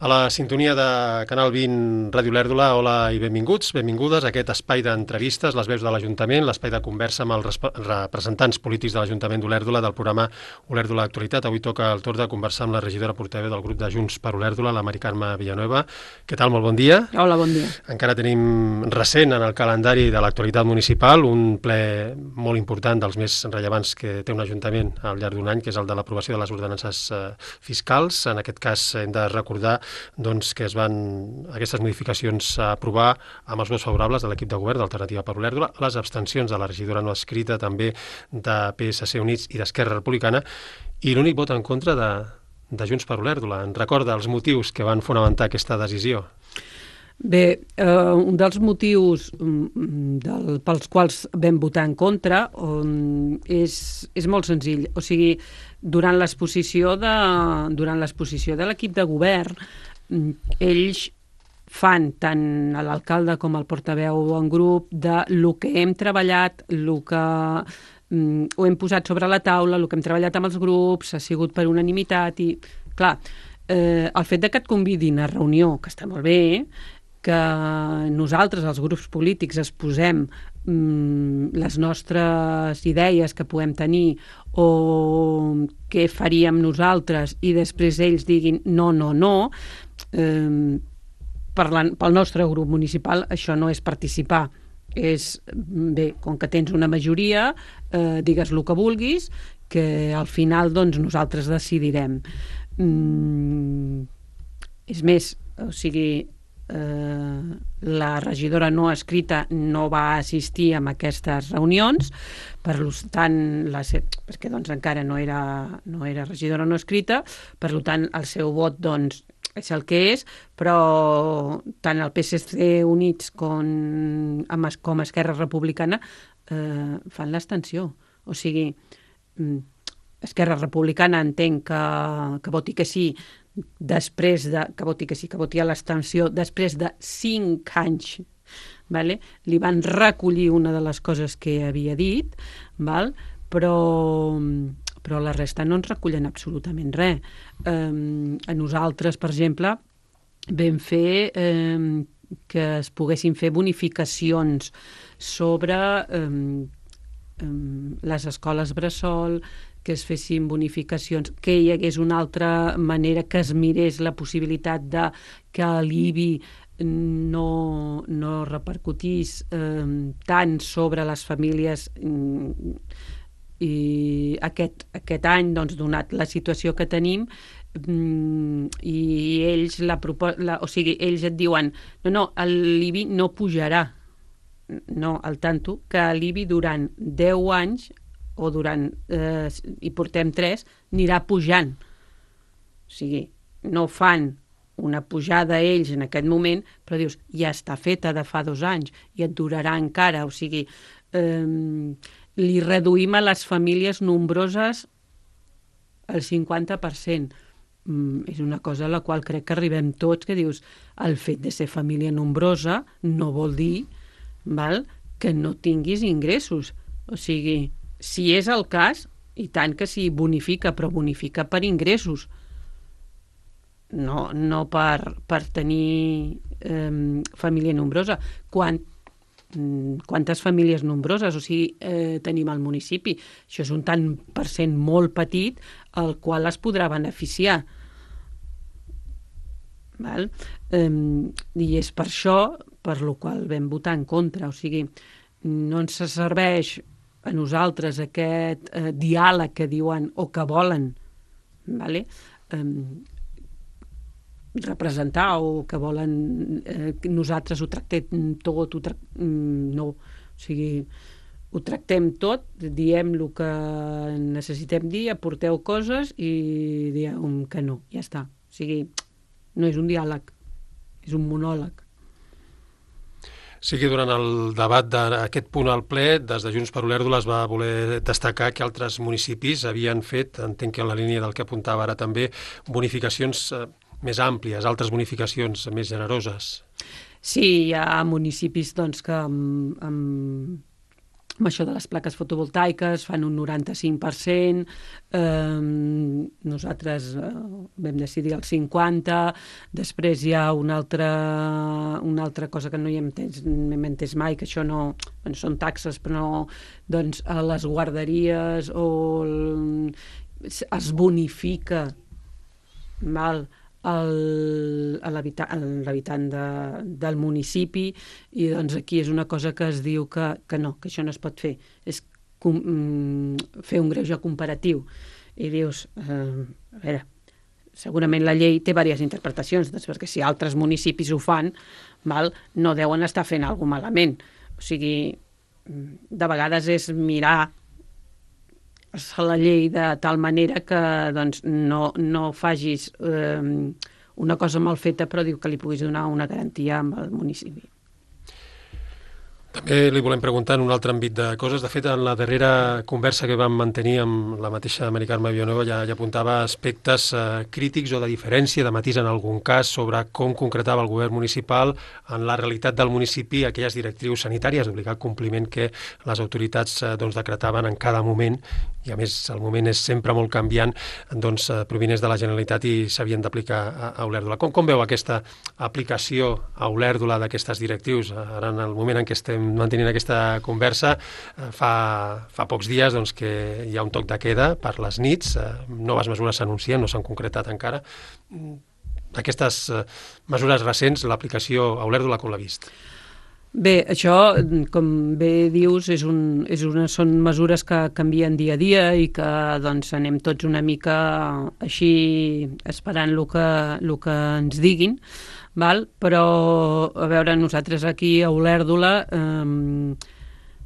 A la sintonia de Canal 20 Ràdio Olèrdola, hola i benvinguts, benvingudes a aquest espai d'entrevistes, les veus de l'Ajuntament, l'espai de conversa amb els representants polítics de l'Ajuntament d'Olèrdola, del programa Olèrdola Actualitat. Avui toca el torn de conversar amb la regidora portaveu del grup de Junts per Olèrdola, la Mari Carme Villanueva. Què tal? Molt bon dia. Hola, bon dia. Encara tenim recent en el calendari de l'actualitat municipal un ple molt important, dels més rellevants que té un ajuntament al llarg d'un any, que és el de l'aprovació de les ordenances fiscals. En aquest cas hem de recordar que es van aquestes modificacions a aprovar amb els vots favorables de l'equip de govern d'Alternativa per Olèrdola, les abstencions de la regidora no escrita també de PSC Units i d'Esquerra Republicana i l'únic vot en contra de Junts per Olèrdola. En recorda els motius que van fonamentar aquesta decisió? Bé, un dels motius pels quals vam votar en contra és molt senzill. O sigui, durant l'exposició de l'equip de govern, ells fan, tant l'alcalde com el portaveu en grup, de lo que hem treballat, lo que ho hem posat sobre la taula, el que hem treballat amb els grups, ha sigut per unanimitat i, clar, el fet que et convidin a reunió, que està molt bé, que nosaltres, els grups polítics, exposem les nostres idees que podem tenir o què faríem nosaltres i després ells diguin no, pel nostre grup municipal això no és participar. És, bé, com que tens una majoria, digues el que vulguis, que al final nosaltres decidirem. És més, o sigui, la regidora no escrita no va assistir a aquestes reunions, per tant, perquè encara no era regidora no escrita, per tant el seu vot és el que és, però tant el PSC Units com Esquerra Republicana fan l'abstenció. O sigui, Esquerra Republicana entenc que voti que sí, després que voti a l'abstenció després de 5 anys, vale? Li van recollir una de les coses que havia dit, val? Però la resta no ens recullen absolutament res. A nosaltres, per exemple, vam fer que es poguessin fer bonificacions sobre les escoles bressol, que es fessin bonificacions, que hi hagués una altra manera, que es mirés la possibilitat de que l'IBI no repercutís tant sobre les famílies i aquest any, donat la situació que tenim, i ells ells et diuen no, l'IBI no pujarà, no, al tanto que l'IBI durant 10 anys o i portem 3, anirà pujant. O sigui, no fan una pujada a ells en aquest moment, però dius, ja està feta de fa 2 anys i et durarà encara. O sigui, li reduïm a les famílies nombroses el 50%. És una cosa a la qual crec que arribem tots, que dius, el fet de ser família nombrosa no vol dir que no tinguis ingressos. O sigui, si és el cas, i tant que sí, bonifica, però bonifica per ingressos, no per tenir família nombrosa. Quantes famílies nombroses tenim al municipi? Això és un tant per cent molt petit al qual es podrà beneficiar. Val? I és per això per lo qual vam votar en contra. O sigui, no ens serveix a nosaltres aquest diàleg que diuen o que volen, vale? Representar o que volen que nosaltres ho tractem tot, no, o sigui, ho tractem tot, diem el que necessitem dir, aporteu coses i diem que no, ja està. O sigui, no és un diàleg, és un monòleg. Sí que durant el debat d'aquest punt al ple, des de Junts per Olèrdola es va voler destacar que altres municipis havien fet, entenc que en la línia del que apuntava ara també, bonificacions més àmplies, altres bonificacions més generoses. Sí, hi ha municipis que amb això de les plaques fotovoltaiques, fan un 95%, nosaltres vam decidir el 50%, després hi ha una altra cosa que no hi hem entès mai, que això no, bueno, són taxes, però no, doncs a les guarderies es bonifica, val, l'habitant del municipi, i doncs aquí és una cosa que es diu que no, que això no es pot fer, és fer un greuge comparatiu, i dius, a veure, segurament la llei té diverses interpretacions, doncs, perquè si altres municipis ho fan, val, no deuen estar fent alguna cosa malament, o sigui, de vegades és mirar la llei de tal manera que doncs, no facis una cosa mal feta, però diu que li puguis donar una garantia al municipi. També li volem preguntar en un altre àmbit de coses. De fet, en la darrera conversa que vam mantenir amb la mateixa Mari Carme Villanueva ja apuntava aspectes crítics o de diferència, de matís en algun cas, sobre com concretava el govern municipal en la realitat del municipi aquelles directrius sanitàries d'obligat compliment que les autoritats decretaven en cada moment, i a més el moment és sempre molt canviant, provinents de la Generalitat i s'havien d'aplicar a Olèrdola. Com veu aquesta aplicació a Olèrdola d'aquestes directrius? Ara, en el moment en què estem mantenint aquesta conversa, fa pocs dies que hi ha un toc de queda per les nits, noves mesures s'anuncien, no s'han concretat encara. Aquestes mesures recents, l'aplicació a Olèrdola, com l'ha vist? Bé, això, com bé dius, són mesures que canvien dia a dia i que anem tots una mica així esperant el que ens diguin, val? Però, a veure, nosaltres aquí a Olèrdola,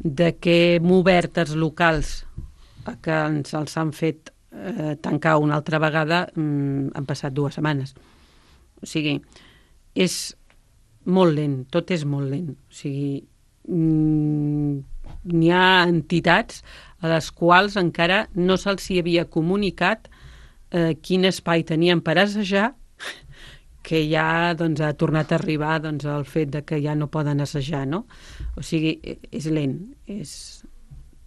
de què hem obert els locals que ens els han fet tancar una altra vegada, han passat 2 setmanes. O sigui, és molt lent, tot és molt lent. O sigui, n'hi ha entitats a les quals encara no se'ls havia comunicat quin espai tenien per assajar, que ja ha tornat a arribar el fet de que ja no poden assajar, no? O sigui, és lent.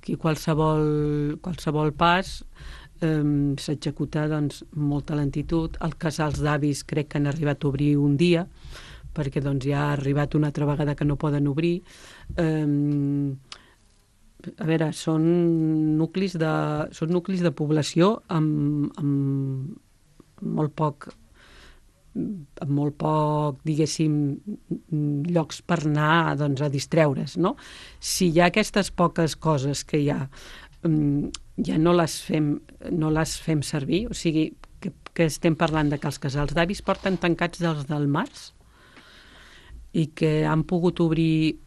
Que qualsevol pas s'executa molta lentitud. Els casals d'avis crec que han arribat a obrir un dia, perquè ja ha arribat una altra vegada que no poden obrir. A veure, són nuclis de població amb molt poc, diguéssim, llocs per anar a distreure's, no? Si hi ha aquestes poques coses que hi ha, ja no les fem servir, o sigui, que estem parlant de que els casals d'avis porten tancats des del març, i que han pogut obrir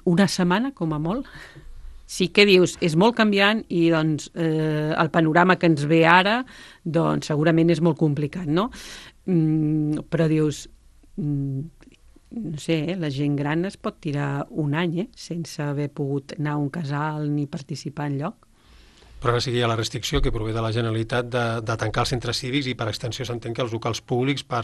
una setmana, com a molt. Sí que dius, és molt canviant i el panorama que ens ve ara segurament és molt complicat, no? Però dius, no sé, la gent gran es pot tirar un any sense haver pogut anar a un casal ni participar en lloc. Però ara sí que hi ha la restricció que prové de la Generalitat de tancar els centres cívics i per extensió s'entén que els locals públics per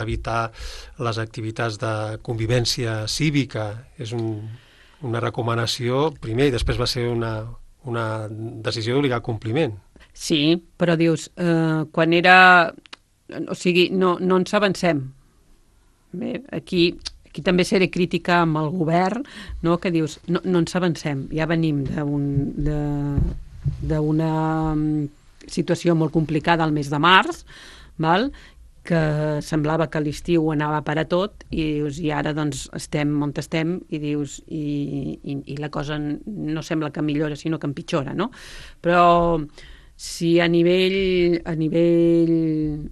evitar les activitats de convivència cívica. És una recomanació primer i després va ser una decisió d'obligar compliment. Sí, però dius, quan era... O sigui, no ens avancem. Bé, aquí també seré crítica amb el govern, no? Que dius, no ens avancem, ja venim d'una situació molt complicada al mes de març, val? Que semblava que l'estiu anava per a tot i ara estem on estem i dius i la cosa no sembla que millora sinó que empitjora, no? Però si a nivell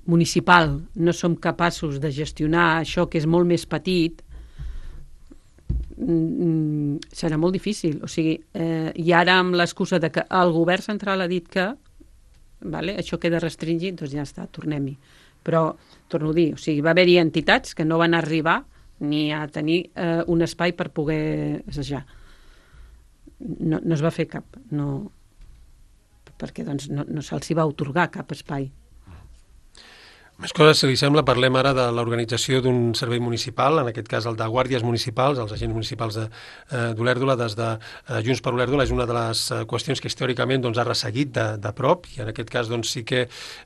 municipal no som capaços de gestionar això que és molt més petit, serà molt difícil. O sigui, i ara amb l'excusa de que el govern central ha dit que això queda restringit, doncs ja està, tornem-hi. Però, torno a dir, o sigui, va haver-hi entitats que no van arribar ni a tenir un espai per poder assajar. No es va fer cap, perquè no se'ls va atorgar cap espai. Més coses, si li sembla, parlem ara de l'organització d'un servei municipal, en aquest cas el de guàrdies municipals, els agents municipals d'Olèrdola, des de Junts per Olèrdola, és una de les qüestions que històricament doncs, ha resseguit de prop, i en aquest cas doncs, sí que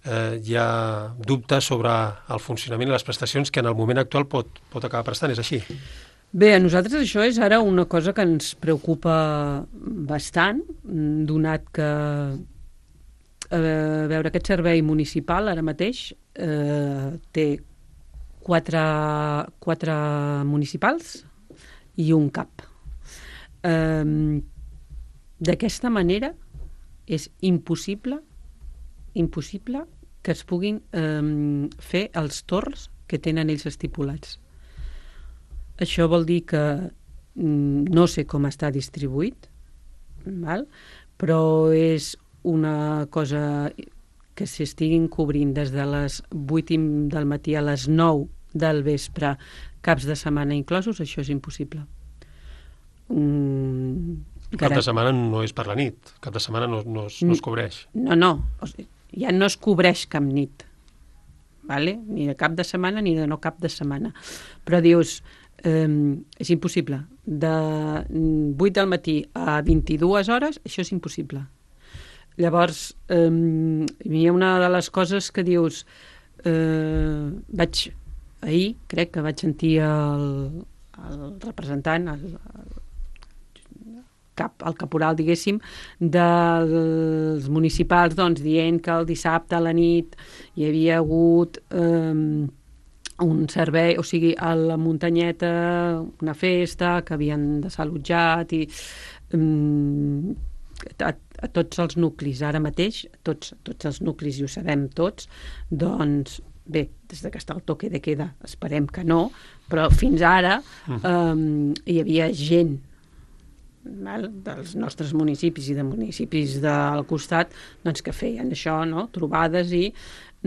hi ha dubtes sobre el funcionament i les prestacions que en el moment actual pot acabar prestant, és així? Bé, a nosaltres això és ara una cosa que ens preocupa bastant, donat que veure, aquest servei municipal ara mateix té quatre municipals i un cap. D'aquesta manera és impossible que es puguin fer els torns que tenen ells estipulats. Això vol dir que no sé com està distribuït, val? Però és una cosa que s'estiguin cobrint des de les 8 del matí a les 9 del vespre, caps de setmana inclosos, això és impossible. Cap de setmana no és per la nit, cap de setmana no es cobreix. No, o sigui, ja no es cobreix cap nit, vale? Ni de cap de setmana ni de no cap de setmana. Però dius, és impossible. De 8 del matí a 22 hores, això és impossible. Llavors, hi ha una de les coses que dius, ahir crec que vaig sentir el representant, el caporal, diguéssim, dels municipals, doncs, dient que el dissabte a la nit hi havia hagut un servei, o sigui, a la muntanyeta, una festa que havien desallotjat i a tots els nuclis, ara mateix, tots els nuclis, i ho sabem tots, doncs, bé, des que està el toque de queda, esperem que no, però fins ara hi havia gent dels nostres municipis i de municipis del costat doncs, que feien això, no? Trobades, i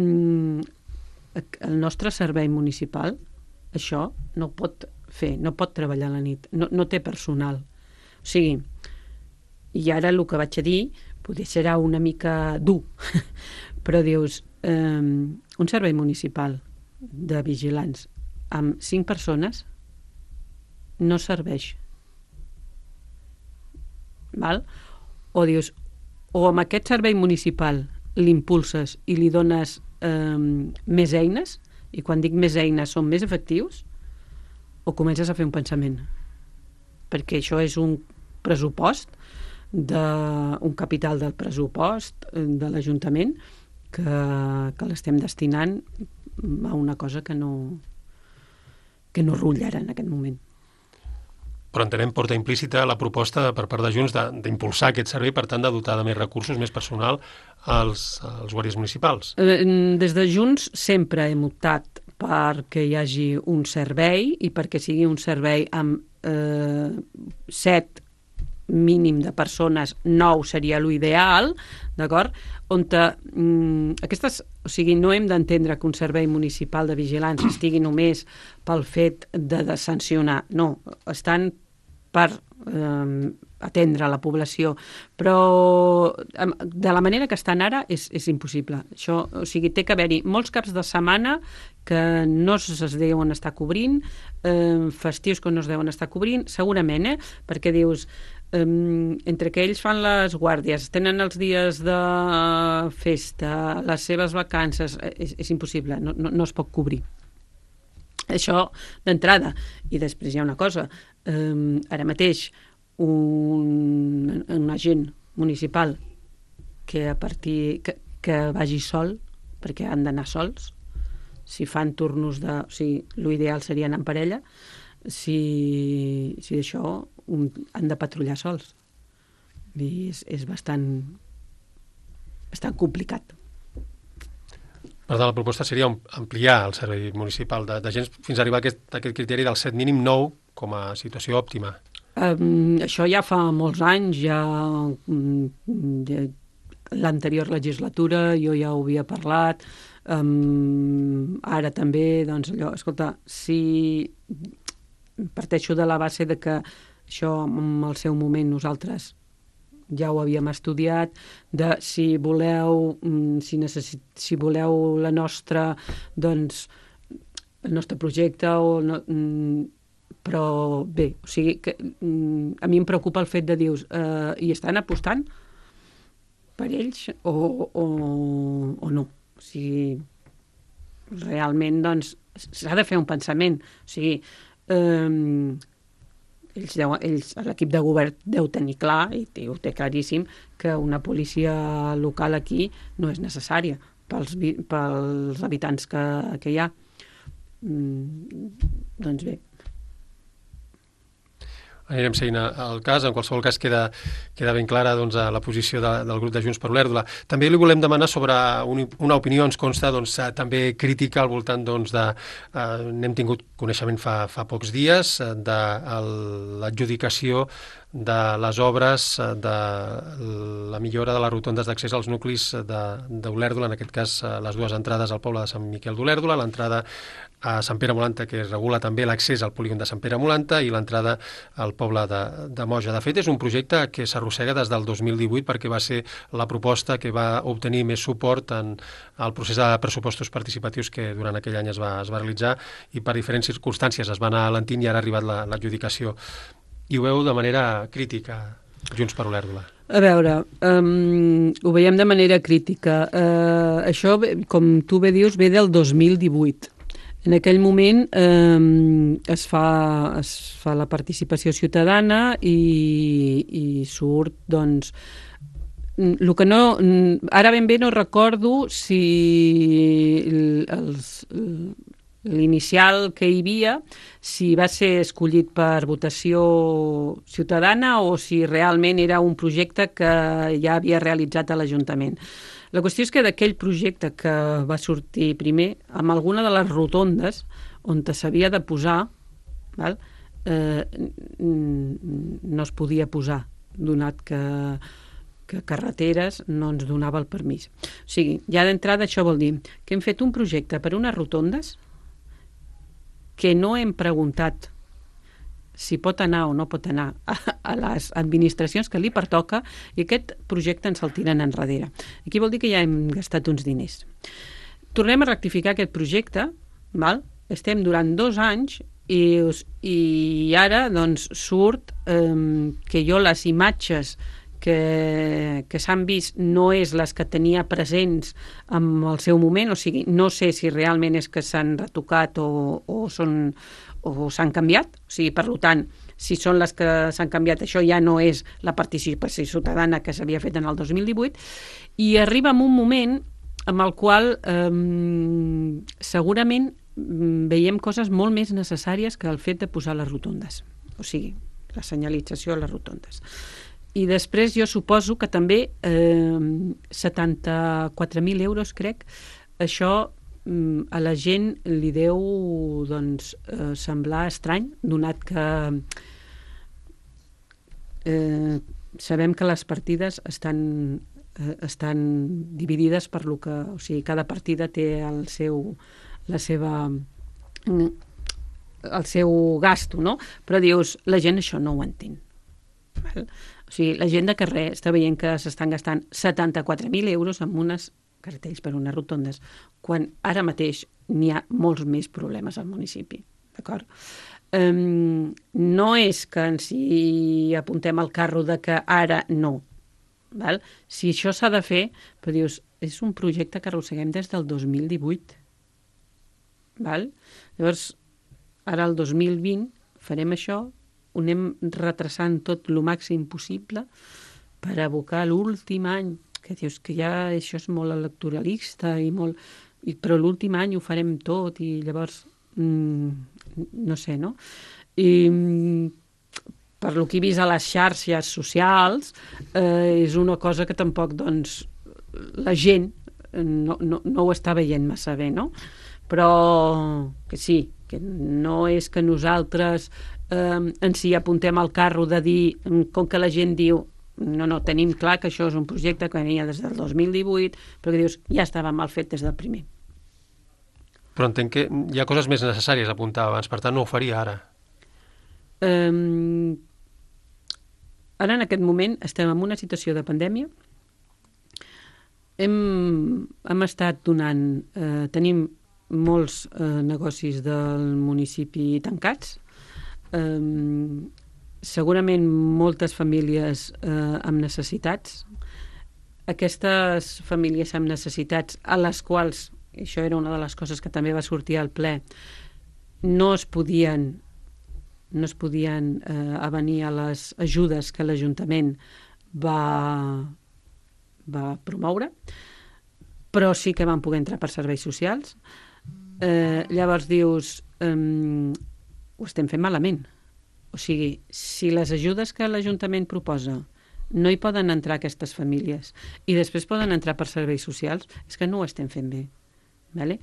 el nostre servei municipal això no pot fer, no pot treballar a la nit, no té personal. O sigui, i ara el que vaig a dir potser serà una mica dur, però dius, un servei municipal de vigilants amb 5 persones no serveix. Val? O dius, o amb aquest servei municipal l'impulses i li dones més eines, i quan dic més eines són més efectius, o comences a fer un pensament. Perquè això és un pressupost, un capital del pressupost de l'Ajuntament que l'estem destinant a una cosa que no rutlla ara en aquest moment. Però entenem, porta implícita la proposta per part de Junts d'impulsar aquest servei, per tant de dotar de més recursos, més personal als guàrdies municipals. Des de Junts sempre hem optat perquè hi hagi un servei i perquè sigui un servei amb 7 mínim de persones, 9 seria l'ideal, d'acord? On aquestes, o sigui, no hem d'entendre que un servei municipal de vigilants estigui només pel fet de sancionar, no, estan per atendre la població, però de la manera que estan ara és impossible. Això, o sigui, té que haver-hi molts caps de setmana que no es deuen estar cobrint, festius que no es deuen estar cobrint, segurament, perquè dius, entre que ells fan les guàrdies, tenen els dies de festa, les seves vacances, és impossible, no es pot cobrir. Això d'entrada. I després hi ha una cosa, ara mateix un agent municipal que vagi sol, perquè han d'anar sols, si fan turnos o sigui, l'ideal seria anar en parella, si d'això han de patrullar sols. I és bastant complicat. Per tant, la proposta seria ampliar el servei municipal d'agents fins a arribar a aquest criteri del 7 mínim 9 com a situació òptima. Això ja fa molts anys, ja l'anterior legislatura jo ja ho havia parlat, ara també, doncs allò, escolta, si parteixo de la base de que això en el seu moment nosaltres ja ho havíem estudiat, de si voleu, si voleu la nostra, doncs, el nostre projecte o no, però bé, o sigui que a mi em preocupa el fet de dir hi estan apostant per ells o no. O sigui, realment doncs s'ha de fer un pensament, o sigui l'equip de govern deu tenir clar, i ho té claríssim, que una policia local aquí no és necessària pels habitants que hi ha. Doncs bé. Anirem seguint el cas. En qualsevol cas queda ben clara doncs, la posició del grup de Junts per Olèrdola. També li volem demanar sobre una opinió, ens consta, doncs, també crítica al voltant doncs, de... n'hem tingut coneixement fa pocs dies de l'adjudicació de les obres de la millora de les rotondes d'accés als nuclis d'Olèrdola, en aquest cas les dues entrades al poble de Sant Miquel d'Olèrdola, l'entrada a Sant Pere Molanta, que regula també l'accés al polígon de Sant Pere Molanta, i l'entrada al poble de Moja. De fet, és un projecte que s'arrossega des del 2018 perquè va ser la proposta que va obtenir més suport en el procés de pressupostos participatius que durant aquell any es va realitzar, i per diferents circumstàncies es va anar alentint i ara ha arribat l'adjudicació. I ho veu de manera crítica, Junts per Olèrdola. A veure, ho veiem de manera crítica. Això, com tu bé dius, ve del 2018. En aquell moment es fa la participació ciutadana i surt, doncs, el que no... Ara ben bé no recordo si l'inicial que hi havia, si va ser escollit per votació ciutadana o si realment era un projecte que ja havia realitzat a l'Ajuntament. La qüestió és que d'aquell projecte que va sortir primer, amb alguna de les rotondes on s'havia de posar, val? No es podia posar, donat que carreteres no ens donava el permís. O sigui, ja d'entrada això vol dir que hem fet un projecte per unes rotondes que no hem preguntat si pot anar o no pot anar a les administracions que li pertoca, i aquest projecte ens el tiren enrere. Aquí vol dir que ja hem gastat uns diners. Tornem a rectificar aquest projecte, val? Estem durant 2 anys i ara doncs, surt que jo les imatges que s'han vist no és les que tenia presents en el seu moment, o sigui, no sé si realment és que s'han retocat o s'han canviat, o sigui, per tant, si són les que s'han canviat, això ja no és la participació ciutadana que s'havia fet en el 2018, i arriba en un moment en el qual segurament veiem coses molt més necessàries que el fet de posar les rotondes, o sigui, la senyalització a les rotondes. I després jo suposo que també 74.000 euros, crec, això a la gent li deu doncs, semblar estrany, donat que sabem que les partides estan dividides per lo que... O sigui, cada partida té el seu gasto, no? Però dius, la gent això no ho entén. Val? O sigui, la gent de carrer està veient que s'estan gastant 74.000 euros en unes cartells per unes rotondes, quan ara mateix n'hi ha molts més problemes al municipi. D'acord? No és que ens hi apuntem al carro de que ara no. Val? Si això s'ha de fer, però dius, és un projecte que arrosseguem des del 2018. Val? Llavors, ara el 2020 farem això, ho anem retrasant tot el màxim possible per abocar l'últim any, que dius que ja això és molt electoralista però l'últim any ho farem tot i llavors no sé, no? I per lo que he vist a les xarxes socials és una cosa que tampoc doncs la gent no ho està veient massa bé, no? Però que sí, que no és que nosaltres ens hi apuntem al carro de dir, com que la gent diu no, tenim clar que això és un projecte que venia des del 2018, però que dius, ja estava mal fet des del primer. Però entenc que hi ha coses més necessàries a apuntar abans, per tant no ho faria ara. Ara, en aquest moment, estem en una situació de pandèmia. Hem estat donant... tenim molts negocis del municipi tancats. Segurament moltes famílies amb necessitats. Aquestes famílies amb necessitats a les quals, això era una de les coses que també va sortir al ple, no es podien avenir a les ajudes que l'Ajuntament va promoure, però sí que van poder entrar per serveis socials. Llavors dius, ho estem fent malament. O sigui, si les ajudes que l'Ajuntament proposa no hi poden entrar aquestes famílies i després poden entrar per serveis socials, és que no ho estem fent bé. Vale?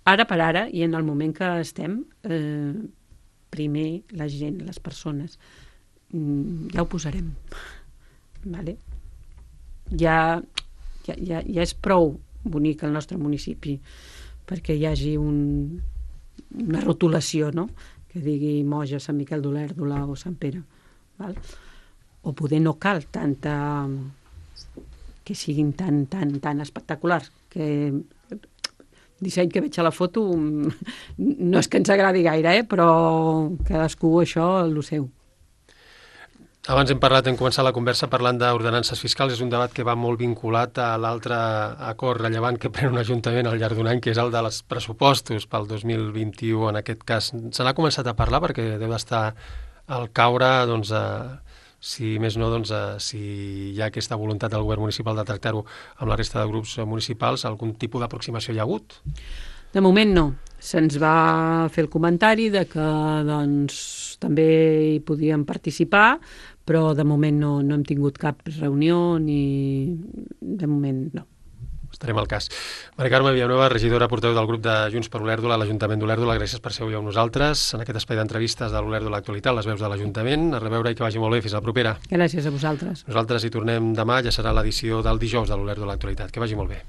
Ara per ara, i en el moment que estem, primer la gent, les persones, ja ho posarem. Vale? Ja és prou bonic el nostre municipi perquè hi hagi una rotulació, no?, que digui Moja, Sant Miquel d'Olèrdola o Sant Pere. Val? O poder no cal que siguin tan espectaculars, que el disseny que veig a la foto no és que ens agradi gaire, però cadascú això el seu. Abans hem començat la conversa parlant d'ordenances fiscals. És un debat que va molt vinculat a l'altre acord rellevant que pren un ajuntament al llarg d'un any, que és el de els pressupostos pel 2021. En aquest cas, se n'ha començat a parlar perquè deu d'estar al caure, doncs, si més no, doncs, si hi ha aquesta voluntat del govern municipal de tractar-ho amb la resta de grups municipals, algun tipus d'aproximació hi ha hagut? De moment no. Se'ns va fer el comentari de que doncs, també hi podíem participar, però de moment no hem tingut cap reunió ni... De moment no. Estarem al cas. Mari Carme Villanueva, regidora portaveu del grup de Junts per Olèrdola a l'Ajuntament d'Olèrdola, gràcies per ser avui amb nosaltres en aquest espai d'entrevistes de l'Olèrdola Actualitat, les veus de l'Ajuntament. A reveure i que vagi molt bé. Fins la propera. Gràcies a vosaltres. Nosaltres hi tornem demà, ja serà l'edició del dijous de l'Olèrdola Actualitat. Que vagi molt bé.